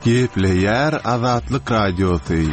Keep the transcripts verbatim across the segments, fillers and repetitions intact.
Gepleýär Azatlyk Radiosy.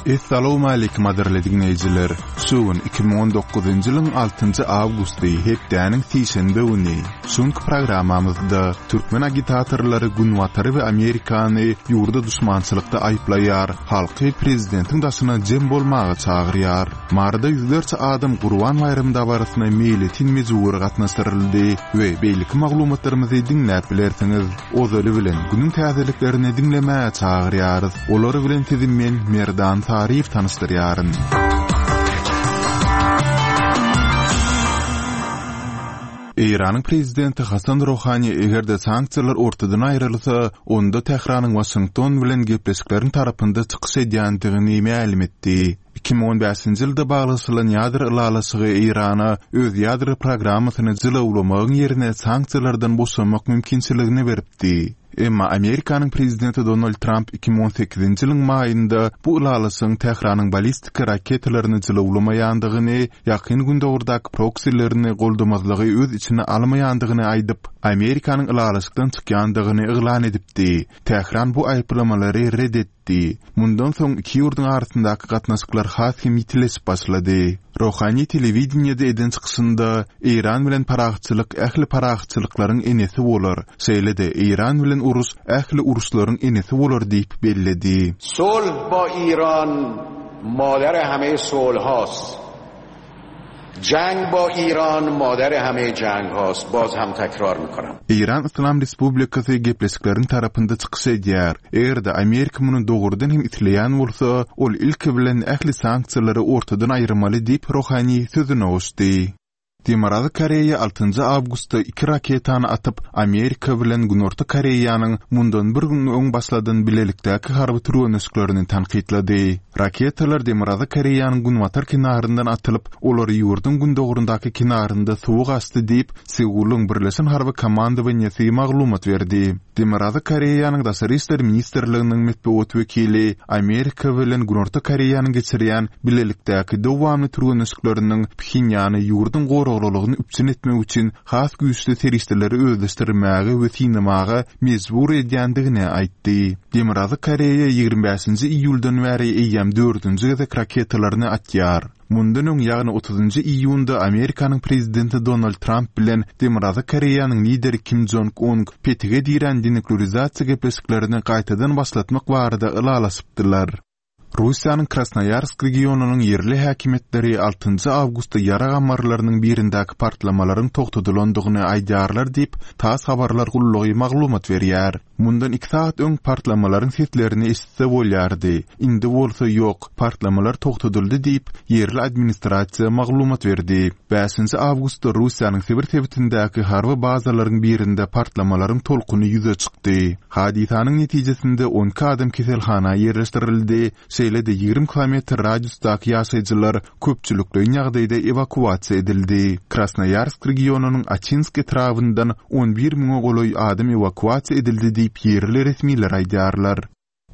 Essalawmaleýkim gadyrly diňleýjiler! Şu gün iki müň on dokuzynjy ýylyň altynjy awgusty, hepdäniň sişenbe güni. Şu günki programmamyzda türkmen agitatorlary Günbatary we Amerikany ýurda duşmançylykda aýyplaýar, halky prezidentiň daşyna jem bolmaga çagyrýar. Maryda ýüzlerçe adam Gurban baýramy dabarasyna meýletin mejbury gatnaşdyryldy we beýleki maglumatlarymyzy diňläp bilersiňiz. Ozaly bilen günüň täzeliklerini diňlemäge çagyrýarys. Olar bilen sizi men Merdan Saryýew tanyşdyrýaryn. Eýranyň prezidenti Hasan Rohani eger-de sanksiýalar ortadan aýrylsa, onda Tähranyň Waşington bilen gepleşikleriň tarapynda çykyş edýändigini mälim etdi. Iki müň on bäşinji ýylda baglaşylan ýadro ylalaşygy Eýrana öz ýadro programmasyny jylawlamagyň ýerine sanksiýalardan boşamak mümkinçiligini beripdi. Emma Amerikanyň prezidenti Donald Tramp iki müň on sekizinji ýylyň maýynda bu ylalaşygyň Tähranyň ballistika raketalaryny jylawlamaýandygyny, Ýakyn Gündogardaky proksilerini goldamazlygy öz içine almaýandygyny aýdyp, Amerikanyň ylalaşykdan çykýandygyny yglan edipdi. Tähran bu aýyplamalary red etdi. Mundan soň iki ýurduň arasyndaky gatnaşyklar has hem ýitileşip başlady. Rohani telewideniýede eden çykyşynda, Eýran bilen parahatçylyk ähli parahatçylyklaryň enesi bolar, şeýle-de Eýran bilen uruş ähli uruşlaryň enesi bolar diýip belledi. Sulh ba Iran madar hame sulhast. Jang ba Iran madar hame jang hast. Baz ham takrar mikonam. Eýran Yslam Respublikasy gepleşikleriň tarapynda çykyş edýär. Eger-de Amerika muny dogrudan hem isleýän bolsa, ol ilki bilen ähli sanksiýalary ortadan aýyrmaly diýip Rohani sözüne goşdy. Demirgazyk Koreýa altynjy awgustda iki raketany atyp, Amerika bilen Günorta Koreýanyň mundan bir gün öň başladan bilelikdäki harby türgenleşiklerini tankytlady. Raketalar Demirgazyk Koreýanyň günbatar kenaryndan atylyp, olar ýurduň gündogaryndaky kenarynda suwa gaçdy diýip, Seulyň Birleşen harby komandowaniýasy maglumat berdi. Demirgazyk Koreýanyň Daşary işler ministrliginiň metbugat wekili Amerika bilen Günorta Koreýanyň geçirýän bilelikdäki dowamly türgenleşikleriniň Phenýany ýurduň goraglylygyny üpjün etmek üçin has güýçli serişdeleri özleşdirmäge we synamaga mejbur edýändigini aýtdy. Demirgazyk Koreýa ýigrimi bäşinji iýuldan bäri eýýäm dördünji gezek raketalaryny atýar. Mundan öň, ýagny otuzynjy iýunda Amerikanyň prezidenti Donald Tramp bilen Demirgazyk Koreýanyň lideri Kim Jong-un petige dirän denuklearizasiýa gepleşiklerini gaýtadan başlatmak barada ylalaşypdylar. Russiýanyň Krasnoýarsk regionynyň ýerli häkimiýetleri altynjy awgustda ýarag ammarlarynyň birindäki partlamalaryň togtadylandygyny aýdýarlar diýip, TASS habarlar gullugy maglumat berýär. Mundan iki sagat öň partlamalaryň seslerini eşitse bolýardy. Indi bolsa ýok, partlamalar togtadyldy diýip, ýerli administrasiýa maglumat berdi. Bäşinji awgustda Russiýanyň Sibir sebitindäki harby bazalaryň birinde partlamalaryň tolkuny ýüze çykdy. Hadysanyň netijesinde on iki adam keselhana ýerleşdirildi, şeýle-de ýigrimi kilometr radiusdaky ýaşaýjylar köpçülikleýin ýagdaýda ewakuasiýa edildi. Krasnoýarsk regionynyň Açinsk etrabyndan on bir müňe golaý adam ewakuasiýa edildi diýip ýerli resmiler aýdýarlar.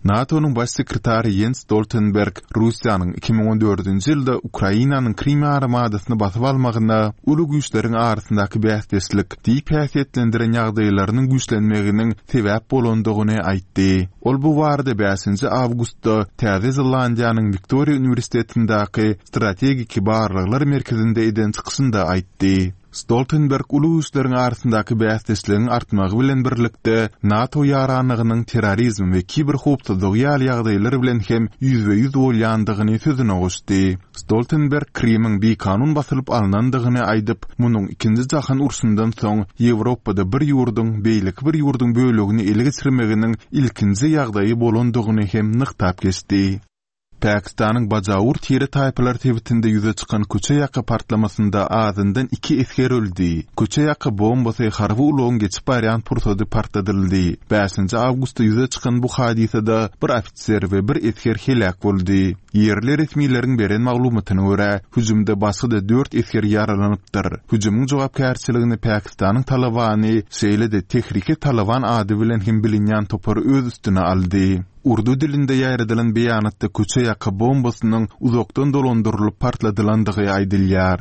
NATO-nyň baş sekretary Jens Stoltenberg Russiýanyň iki müň on dördünji ýylda Ukrainanyň Krim ýarymadasyny basyp almagyna uly güýçleriň arasyndaky bäsdeşlik diýip häsiýetlendiren ýagdaýlarynyň güýçlenmeginiň sebäp bolandygyny aýtdy. Ol bu barada bäşinji awgustda Täze Zelandiýanyň Wiktoriýa uniwersitetindäki strategiki barlaglar merkezinde eden çykyşynda aýtdy. Stoltenberg uly güýçleriň arasyndaky bäsdeşligiň artmagy bilen birlikde NATO ýaranlygynyň terrorizm we kiberhowpsuzlygy ýaly ýagdaýlar bilen hem ýüzbe-ýüz bolýandygyny sözüne goşdy. Stoltenberg Krimiň bikanun basylyp alnandygyny aýdyp, munuň ikinji jahan urşundan soň Ýewropada bir ýurduň beýleki bir ýurduň bölegini ele geçirmeginiň ilkinji ýagdaýy bolandygyny hem nygtap geçdi. Pakistanyň Bajaur tire taýpalar sebitinde ýüze çykan köçe ýaka partlamasynda azyndan iki esger öldi. Köçe ýaka bombasy harby ulagyň geçip barýan pursady partladyldy. Bäşinji awgustda ýüze çykan bu hadysada bir ofiser we bir esger heläk boldy. Ýerli resmileriň beren maglumatyna görä, hüjümde başga-da dört esger ýaralanypdyr. Hüjümiň jogapkärçiligini Pakistanyň Talabany, şeýle-de Tehriki Talaban ady bilen hem bilinýän topar öz üstüne aldy. Urdu dilinde ýaýradylan beýanatda köçe ýaka bombasynyň uzakdan dolandyrylyp partladylandygy aýdylýar.